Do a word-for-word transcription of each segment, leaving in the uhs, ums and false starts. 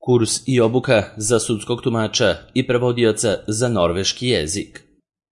Kurs i obuka za sudskog tumača i prevodioca za norveški jezik.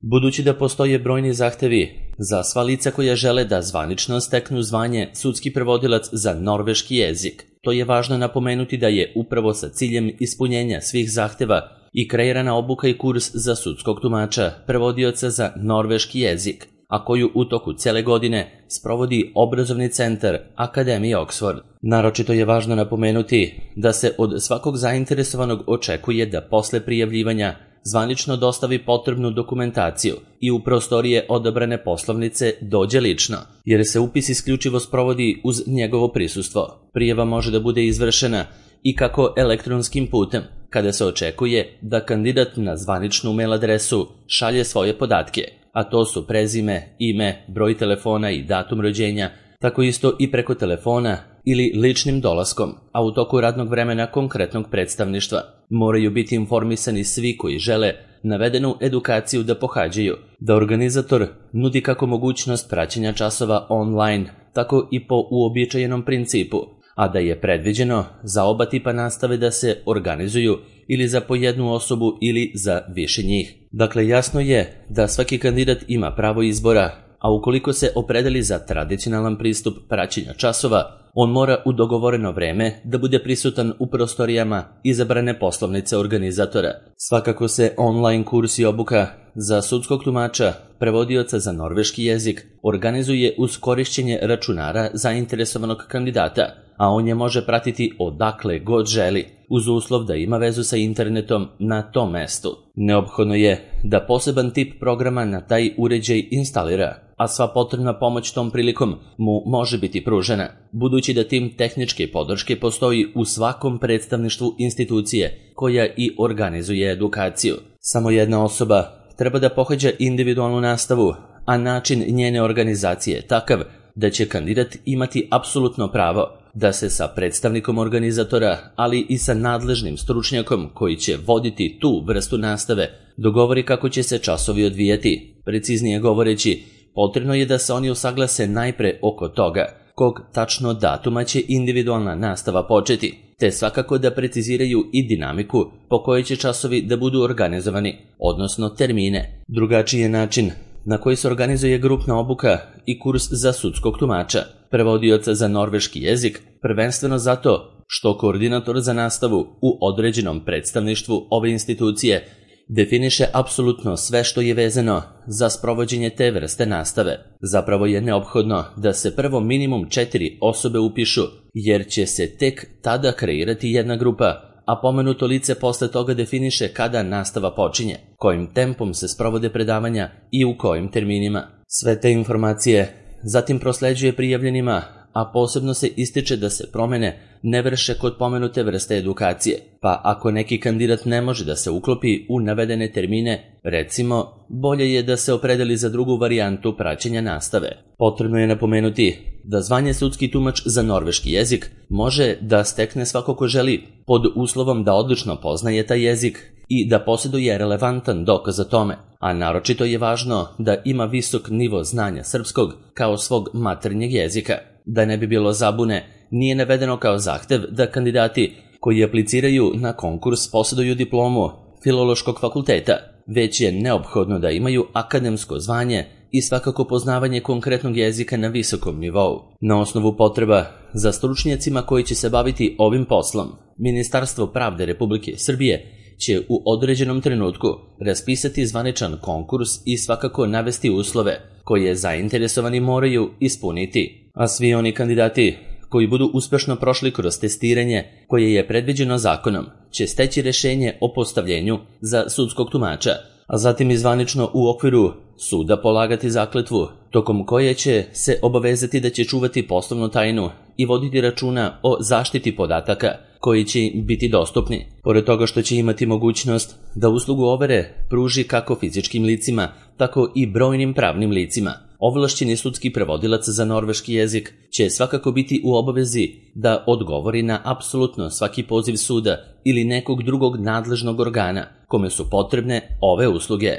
Budući da postoje brojni zahtevi za sva lica koja žele da zvanično steknu zvanje sudski prevodilac za norveški jezik, to je važno napomenuti da je upravo sa ciljem ispunjenja svih zahteva i kreirana obuka i kurs za sudskog tumača, prevodioca za norveški jezik, a koju u toku cele godine sprovodi obrazovni centar Akademije Oxford. Naročito je važno napomenuti da se od svakog zainteresovanog očekuje da posle prijavljivanja zvanično dostavi potrebnu dokumentaciju i u prostorije odabrane poslovnice dođe lično, jer se upis isključivo sprovodi uz njegovo prisustvo. Prijava može da bude izvršena i kako elektronskim putem, kada se očekuje da kandidat na zvaničnu mail adresu šalje svoje podatke, a to su prezime, ime, broj telefona i datum rođenja, tako isto i preko telefona ili ličnim dolaskom, a u toku radnog vremena konkretnog predstavništva. Moraju biti informisani svi koji žele navedenu edukaciju da pohađaju, da organizator nudi kako mogućnost praćenja časova online, tako i po uobičajenom principu, a da je predviđeno za oba tipa nastave da se organizuju ili za po jednu osobu ili za više njih. Dakle, jasno je da svaki kandidat ima pravo izbora, a ukoliko se opredeli za tradicionalan pristup praćenja časova, on mora u dogovoreno vreme da bude prisutan u prostorijama izabrane poslovnice organizatora. Svakako se online kurs i obuka za sudskog tumača, prevodioca za norveški jezik, organizuje uz korišćenje računara zainteresovanog kandidata, a on je može pratiti odakle god želi, uz uslov da ima vezu sa internetom na tom mestu. Neophodno je da poseban tip programa na taj uređaj instalira, a sva potrebna pomoć tom prilikom mu može biti pružena, budući da tim tehničke podrške postoji u svakom predstavništvu institucije koja i organizuje edukaciju. Samo jedna osoba treba da pohađa individualnu nastavu, a način njene organizacije je takav da će kandidat imati apsolutno pravo da se sa predstavnikom organizatora, ali i sa nadležnim stručnjakom koji će voditi tu vrstu nastave, dogovori kako će se časovi odvijati. Preciznije govoreći, potrebno je da se oni usaglase najpre oko toga kog tačno datuma će individualna nastava početi, te svakako da preciziraju i dinamiku po kojoj će časovi da budu organizovani, odnosno termine. Drugačiji je način na koji se organizuje grupna obuka i kurs za sudskog tumača, prevodioca za norveški jezik, prvenstveno zato što koordinator za nastavu u određenom predstavništvu ove institucije definiše apsolutno sve što je vezano za sprovođenje te vrste nastave. Zapravo je neophodno da se prvo minimum četiri osobe upišu, jer će se tek tada kreirati jedna grupa, a pomenuto lice posle toga definiše kada nastava počinje, kojim tempom se sprovode predavanja i u kojim terminima. Sve te informacije zatim prosleđuje prijavljenima, a posebno se ističe da se promene ne vrše kod pomenute vrste edukacije, pa ako neki kandidat ne može da se uklopi u navedene termine, recimo, bolje je da se opredeli za drugu varijantu praćenja nastave. Potrebno je napomenuti da zvanje sudski tumač za norveški jezik može da stekne svako ko želi, pod uslovom da odlično poznaje taj jezik i da posjeduje relevantan dokaz o tome, a naročito je važno da ima visok nivo znanja srpskog kao svog maternjeg jezika. Da ne bi bilo zabune, nije navedeno kao zahtev da kandidati koji apliciraju na konkurs posjeduju diplomu Filološkog fakulteta, već je neophodno da imaju akademsko zvanje i svakako poznavanje konkretnog jezika na visokom nivou. Na osnovu potreba za stručnjacima koji će se baviti ovim poslom, Ministarstvo pravde Republike Srbije će u određenom trenutku raspisati zvaničan konkurs i svakako navesti uslove koje zainteresovani moraju ispuniti, a svi oni kandidati koji budu uspešno prošli kroz testiranje koje je predviđeno zakonom će steći rešenje o postavljenju za sudskog tumača, a zatim i zvanično u okviru suda polagati zakletvu, tokom koje će se obavezati da će čuvati poslovnu tajnu i voditi računa o zaštiti podataka koji će im biti dostupni. Pored toga što će imati mogućnost da uslugu overe pruži kako fizičkim licima, tako i brojnim pravnim licima, ovlašćeni sudski prevodilac za norveški jezik će svakako biti u obavezi da odgovori na apsolutno svaki poziv suda ili nekog drugog nadležnog organa kome su potrebne ove usluge.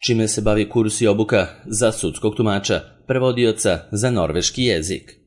Čime se bavi kurs i obuka za sudskog tumača, prevodioca za norveški jezik.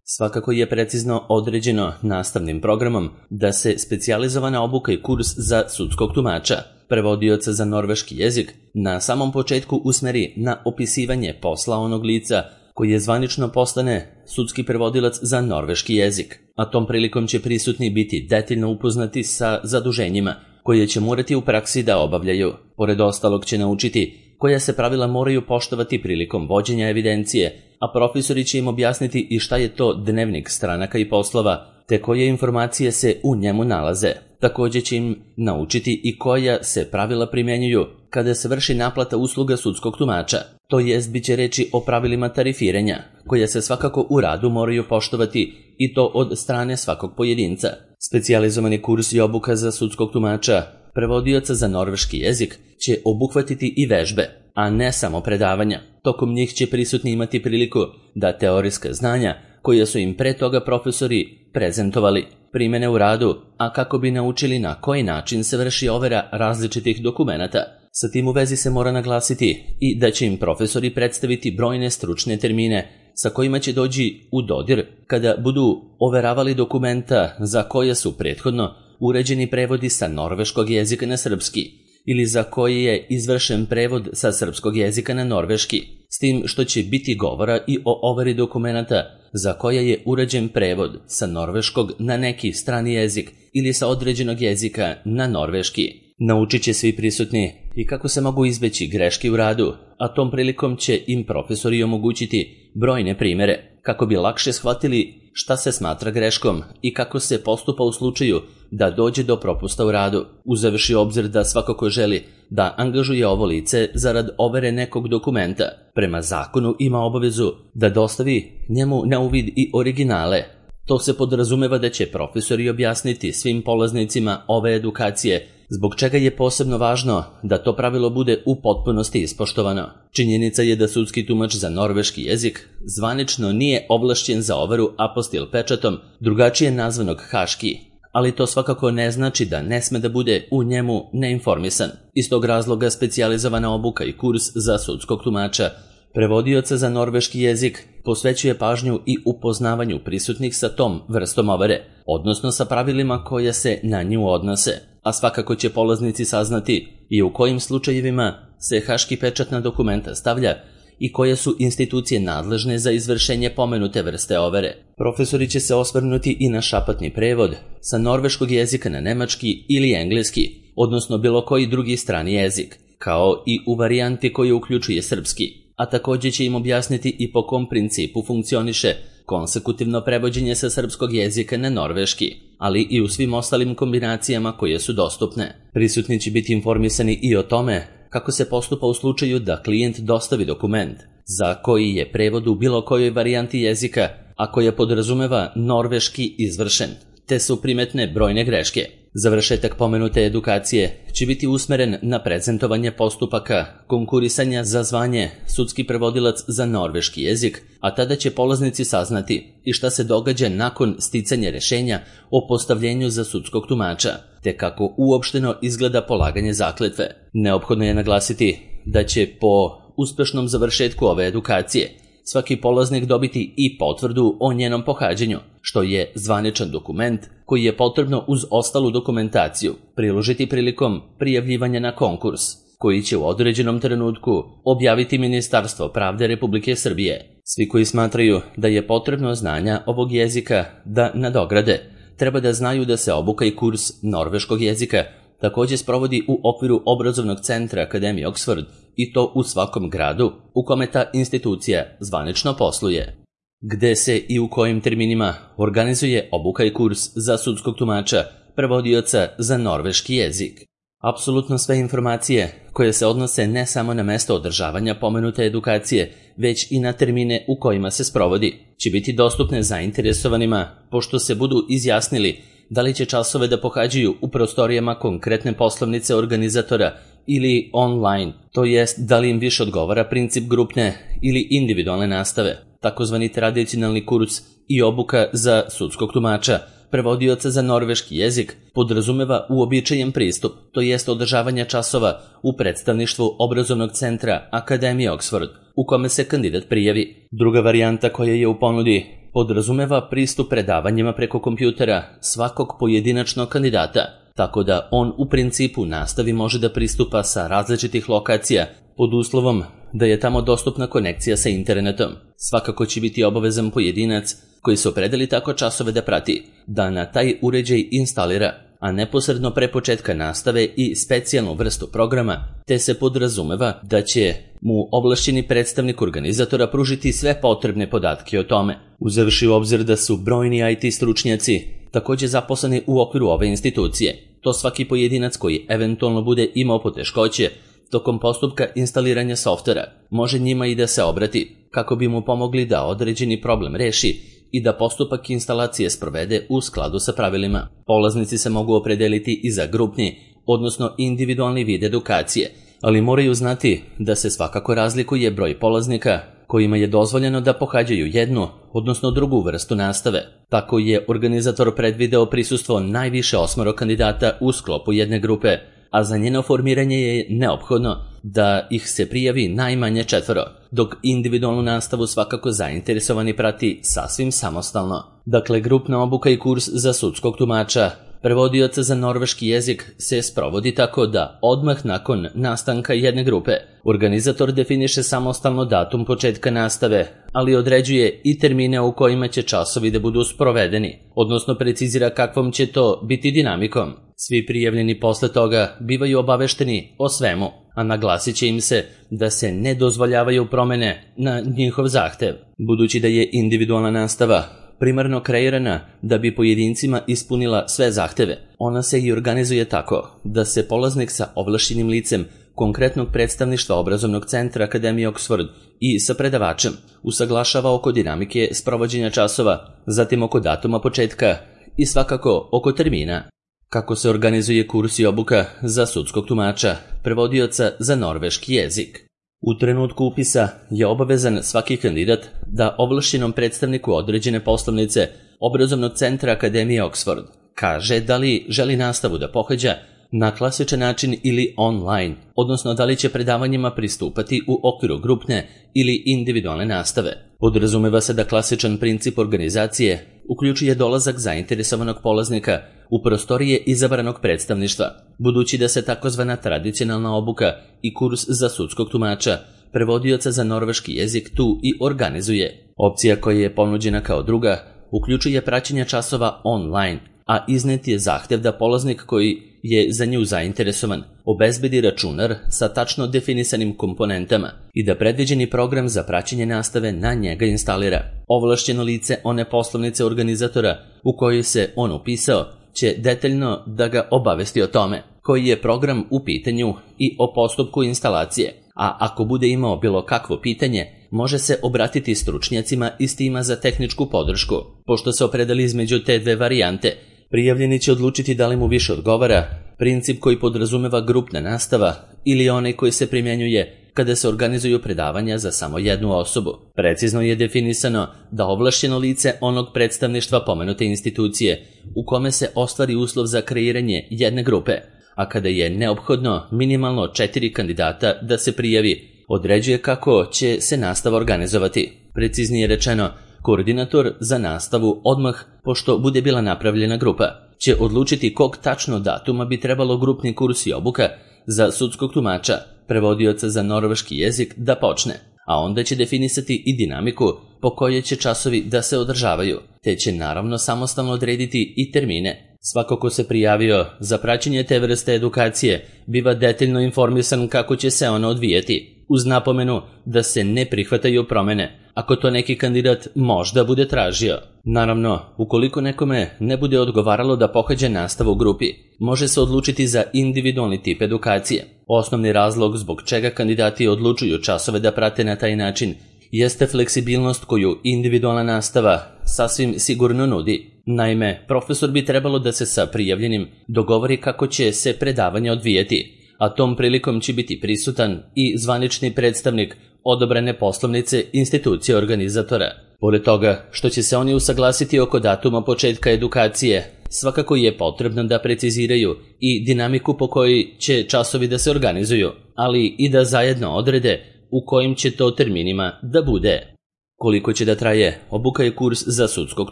Svakako je precizno određeno nastavnim programom da se specijalizovana obuka i kurs za sudskog tumača, prevodioca za norveški jezik, na samom početku usmeri na opisivanje posla onog lica koji je zvanično postane sudski prevodilac za norveški jezik, a tom prilikom će prisutni biti detaljno upoznati sa zaduženjima koje će morati u praksi da obavljaju. Pored ostalog će naučiti koja se pravila moraju poštovati prilikom vođenja evidencije, a profesori će im objasniti i šta je to dnevnik stranaka i poslova, te koje informacije se u njemu nalaze. Također će im naučiti i koja se pravila primjenjuju kada se vrši naplata usluga sudskog tumača, to jest bit će reći o pravilima tarifiranja, koja se svakako u radu moraju poštovati i to od strane svakog pojedinca. Specijalizovani kurs i obuka za sudskog tumača, prevodioca za norveški jezik, će obuhvatiti i vežbe, a ne samo predavanja. Tokom njih će prisutni imati priliku da teorijska znanja, koje su im pre toga profesori prezentovali, primene u radu, a kako bi naučili na koji način se vrši overa različitih dokumenata. Sa tim u vezi se mora naglasiti i da će im profesori predstaviti brojne stručne termine sa kojima će doći u dodir kada budu overavali dokumenta za koje su prethodno uređeni prevodi sa norveškog jezika na srpski ili za koji je izvršen prevod sa srpskog jezika na norveški, s tim što će biti govora i o overi dokumenata za koje je uređen prevod sa norveškog na neki strani jezik ili sa određenog jezika na norveški. Naučit će svi prisutni i kako se mogu izbeći greške u radu, a tom prilikom će im profesori omogućiti brojne primere kako bi lakše shvatili šta se smatra greškom i kako se postupa u slučaju da dođe do propusta u radu, uzevši obzir da svako ko želi da angažuje ovo lice zarad overe nekog dokumenta, prema zakonu ima obavezu da dostavi njemu na uvid i originale. To se podrazumeva da će profesori objasniti svim polaznicima ove edukacije zbog čega je posebno važno da to pravilo bude u potpunosti ispoštovano. Činjenica je da sudski tumač za norveški jezik zvanično nije ovlašćen za overu apostil pečatom, drugačije nazvanog haški, ali to svakako ne znači da ne sme da bude u njemu neinformisan. Iz tog razloga specijalizovana obuka i kurs za sudskog tumača, prevodioca za norveški jezik, posvećuje pažnju i upoznavanju prisutnih sa tom vrstom overe, odnosno sa pravilima koje se na nju odnose, a svakako će polaznici saznati i u kojim slučajevima se haški pečat na dokumenta stavlja i koje su institucije nadležne za izvršenje pomenute vrste overe. Profesori će se osvrnuti i na šapatni prevod sa norveškog jezika na nemački ili engleski, odnosno bilo koji drugi strani jezik, kao i u varijanti koje uključuje srpski, a također će im objasniti i po kom principu funkcioniše konsekutivno prevođenje sa srpskog jezika na norveški, ali i u svim ostalim kombinacijama koje su dostupne. Prisutni će biti informisani i o tome kako se postupa u slučaju da klijent dostavi dokument za koji je prevod u bilo kojoj varijanti jezika, a koja podrazumeva norveški izvršen, te su primetne brojne greške. Završetak pomenute edukacije će biti usmeren na prezentovanje postupaka konkurisanja za zvanje sudski prevodilac za norveški jezik, a tada će polaznici saznati i šta se događa nakon sticanja rešenja o postavljenju za sudskog tumača, te kako uopšteno izgleda polaganje zakletve. Neophodno je naglasiti da će po uspešnom završetku ove edukacije svaki polaznik dobiti i potvrdu o njenom pohađanju, što je zvaničan dokument koji je potrebno uz ostalu dokumentaciju priložiti prilikom prijavljivanja na konkurs, koji će u određenom trenutku objaviti Ministarstvo pravde Republike Srbije. Svi koji smatraju da je potrebno znanja ovog jezika da nadograde, treba da znaju da se obuka i kurs norveškog jezika također sprovodi u okviru obrazovnog centra Akademije Oxford i to u svakom gradu u kome ta institucija zvanično posluje. Gde se i u kojim terminima organizuje obuka i kurs za sudskog tumača, prevodioca za norveški jezik. Apsolutno sve informacije koje se odnose ne samo na mesto održavanja pomenute edukacije, već i na termine u kojima se sprovodi, će biti dostupne zainteresovanima pošto se budu izjasnili da li će časove da pohađaju u prostorijama konkretne poslovnice organizatora ili online, to jest da li im više odgovara princip grupne ili individualne nastave, takozvani tradicionalni kurs i obuka za sudskog tumača, prevodioca za norveški jezik, podrazumeva uobičajen pristup, to jest održavanje časova u predstavništvu obrazovnog centra Akademije Oxford, u kome se kandidat prijavi. Druga varijanta koja je u ponudi podrazumeva pristup predavanjima preko kompjutera svakog pojedinačnog kandidata, tako da on u principu nastavi može da pristupa sa različitih lokacija pod uslovom da je tamo dostupna konekcija sa internetom. Svakako će biti obavezan pojedinac koji se opredeli tako časove da prati, da na taj uređaj instalira, a neposredno pre početka nastave i specijalnu vrstu programa, te se podrazumeva da će mu ovlašćeni predstavnik organizatora pružiti sve potrebne podatke o tome, uzevši u obzir da su brojni I T stručnjaci takođe zaposleni u okviru ove institucije. To svaki pojedinac koji eventualno bude imao poteškoće tokom postupka instaliranja softvera može njima i da se obrati, kako bi mu pomogli da određeni problem reši i da postupak instalacije sprovede u skladu sa pravilima. Polaznici se mogu opredeliti i za grupni, odnosno individualni vid edukacije, ali moraju znati da se svakako razlikuje broj polaznika kojima je dozvoljeno da pohađaju jednu, odnosno drugu vrstu nastave. Tako je organizator predvideo prisustvo najviše osmoro kandidata u sklopu jedne grupe, a za njeno formiranje je neophodno da ih se prijavi najmanje četvoro, dok individualnu nastavu svakako zainteresovani prati sasvim samostalno. Dakle, grupna obuka i kurs za sudskog tumača, prevodioca za norveški jezik se sprovodi tako da odmah nakon nastanka jedne grupe organizator definiše samostalno datum početka nastave, ali određuje i termine u kojima će časovi da budu sprovedeni, odnosno precizira kakvom će to biti dinamikom. Svi prijavljeni posle toga bivaju obavešteni o svemu, a naglasit će im se da se ne dozvoljavaju promene na njihov zahtev. Budući da je individualna nastava primarno kreirana da bi pojedincima ispunila sve zahteve, ona se i organizuje tako da se polaznik sa ovlašćenim licem konkretnog predstavništva obrazovnog centra Akademije Oxford i sa predavačem usaglašava oko dinamike sprovođenja časova, zatim oko datuma početka i svakako oko termina. Kako se organizuje kurs i obuka za sudskog tumača, prevodioca za norveški jezik. U trenutku upisa je obavezan svaki kandidat da ovlašćenom predstavniku određene poslovnice obrazovnog centra Akademije Oxford kaže da li želi nastavu da pohađa na klasičan način ili online, odnosno da li će predavanjima pristupati u okviru grupne ili individualne nastave. Podrazumeva se da klasičan princip organizacije uključuje dolazak zainteresovanog polaznika u prostorije izabranog predstavništva, budući da se takozvana tradicionalna obuka i kurs za sudskog tumača, prevodioca za norveški jezik tu i organizuje. Opcija koja je ponuđena kao druga uključuje praćenje časova online, a iznet je zahtev da polaznik koji je za nju zainteresovan obezbedi računar sa tačno definisanim komponentama i da predviđeni program za praćenje nastave na njega instalira. Ovlašćeno lice one poslovnice organizatora u kojoj se on upisao će detaljno da ga obavesti o tome koji je program u pitanju i o postupku instalacije, a ako bude imao bilo kakvo pitanje, može se obratiti stručnjacima iz tima za tehničku podršku. Pošto se opredeli između te dve varijante, prijavljeni će odlučiti da li mu više odgovara princip koji podrazumeva grupna nastava ili onaj koji se primjenjuje kada se organizuju predavanja za samo jednu osobu. Precizno je definisano da ovlašćeno lice onog predstavništva pomenute institucije u kome se ostvari uslov za kreiranje jedne grupe, a kada je neophodno minimalno četiri kandidata da se prijavi, određuje kako će se nastava organizovati. Preciznije rečeno, koordinator za nastavu odmah, pošto bude bila napravljena grupa, će odlučiti kog tačno datuma bi trebalo grupni kurs i obuka za sudskog tumača, prevodioca za norveški jezik da počne, a onda će definisati i dinamiku po kojoj će časovi da se održavaju, te će naravno samostalno odrediti i termine. Svako ko se prijavio za praćenje te vrste edukacije biva detaljno informisan kako će se ona odvijeti, uz napomenu da se ne prihvataju promene, ako to neki kandidat možda bude tražio. Naravno, ukoliko nekome ne bude odgovaralo da pohađa nastavu u grupi, može se odlučiti za individualni tip edukacije. Osnovni razlog zbog čega kandidati odlučuju časove da prate na taj način jeste fleksibilnost koju individualna nastava sasvim sigurno nudi. Naime, profesor bi trebalo da se sa prijavljenim dogovori kako će se predavanje odvijeti, a tom prilikom će biti prisutan i zvanični predstavnik odobrene poslovnice institucije organizatora. Pored toga što će se oni usaglasiti oko datuma početka edukacije, svakako je potrebno da preciziraju i dinamiku po kojoj će časovi da se organizuju, ali i da zajedno odrede u kojim će to terminima da bude. Koliko će da traje obuka i kurs za sudskog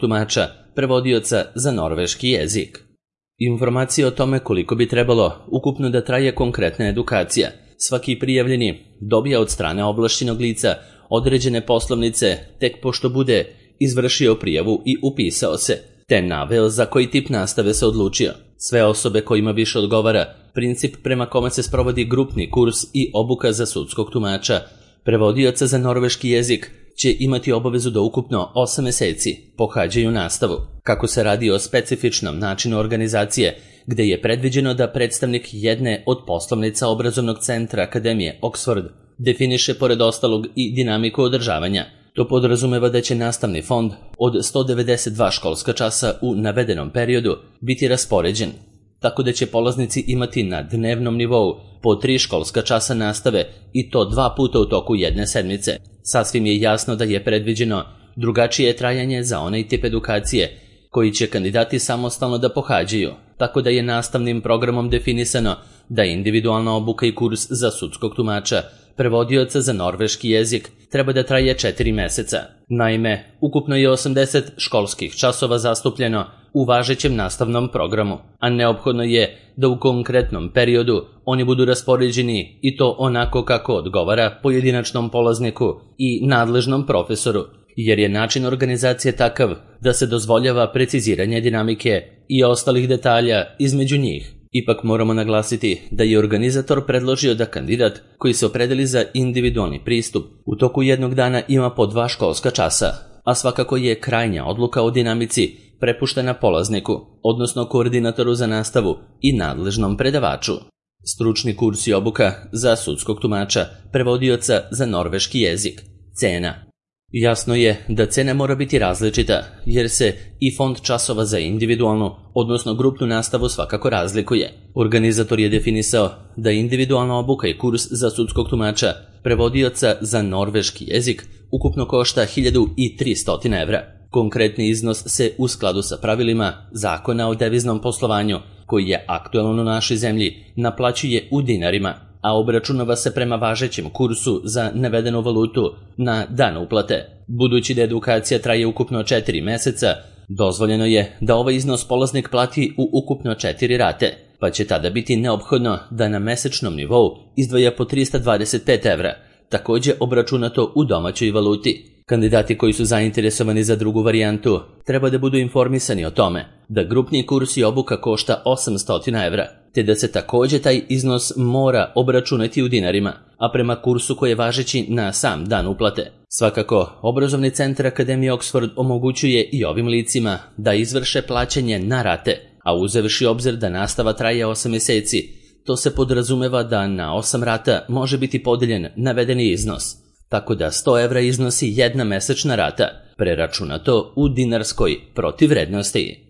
tumača, prevodioca za norveški jezik. Informacije o tome koliko bi trebalo ukupno da traje konkretna edukacija svaki prijavljeni dobija od strane ovlašćenog lica određene poslovnice tek pošto bude izvršio prijavu i upisao se, te naveo za koji tip nastave se odlučio. Sve osobe kojima više odgovara princip prema kome se sprovodi grupni kurs i obuka za sudskog tumača, prevodioca za norveški jezik, će imati obavezu da ukupno osam meseci pohađaju nastavu. Kako se radi o specifičnom načinu organizacije, gde je predviđeno da predstavnik jedne od poslovnica obrazovnog centra Akademije Oxford definiše pored ostalog i dinamiku održavanja. To podrazumeva da će nastavni fond od sto devedeset dva školska časa u navedenom periodu biti raspoređen, tako da će polaznici imati na dnevnom nivou po tri školska časa nastave i to dva puta u toku jedne sedmice. Sasvim je jasno da je predviđeno drugačije trajanje za onaj tip edukacije koji će kandidati samostalno da pohađaju, tako da je nastavnim programom definisano da individualna obuka i kurs za sudskog tumača, prevodioca za norveški jezik, treba da traje četiri meseca. Naime, ukupno je osamdeset školskih časova zastupljeno u važećem nastavnom programu, a neophodno je da u konkretnom periodu oni budu raspoređeni i to onako kako odgovara pojedinačnom polazniku i nadležnom profesoru, jer je način organizacije takav da se dozvoljava preciziranje dinamike i ostalih detalja između njih. Ipak moramo naglasiti da je organizator predložio da kandidat koji se opredeli za individualni pristup u toku jednog dana ima po dva školska časa, a svakako je krajnja odluka o dinamici prepuštena polazniku, odnosno koordinatoru za nastavu i nadležnom predavaču. Stručni kurs i obuka za sudskog tumača, prevodioca za norveški jezik. Cena. Jasno je da cena mora biti različita, jer se i fond časova za individualnu, odnosno grupnu nastavu svakako razlikuje. Organizator je definisao da individualna obuka i kurs za sudskog tumača, prevodioca za norveški jezik, ukupno košta hiljadu tristo evra. Konkretni iznos se u skladu sa pravilima Zakona o deviznom poslovanju, koji je aktualan u našoj zemlji, naplaćuje u dinarima, a obračunava se prema važećem kursu za navedenu valutu na dan uplate. Budući da edukacija traje ukupno četiri meseca, dozvoljeno je da ovaj iznos polaznik plati u ukupno četiri rate, pa će tada biti neophodno da na mesečnom nivou izdvaja po tristo dvadeset pet evra, takođe obračunato u domaćoj valuti. Kandidati koji su zainteresovani za drugu varijantu treba da budu informisani o tome da grupni kurs i obuka košta osamsto evra, te da se takođe taj iznos mora obračunati u dinarima, a prema kursu koji je važeći na sam dan uplate. Svakako, obrazovni centar Akademije Oxford omogućuje i ovim licima da izvrše plaćanje na rate, a uzevši obzir da nastava traje osam meseci, to se podrazumeva da na osam rata može biti podeljen navedeni iznos, tako da sto evra iznosi jedna mesečna rata, preračunato u dinarskoj protivvrednosti.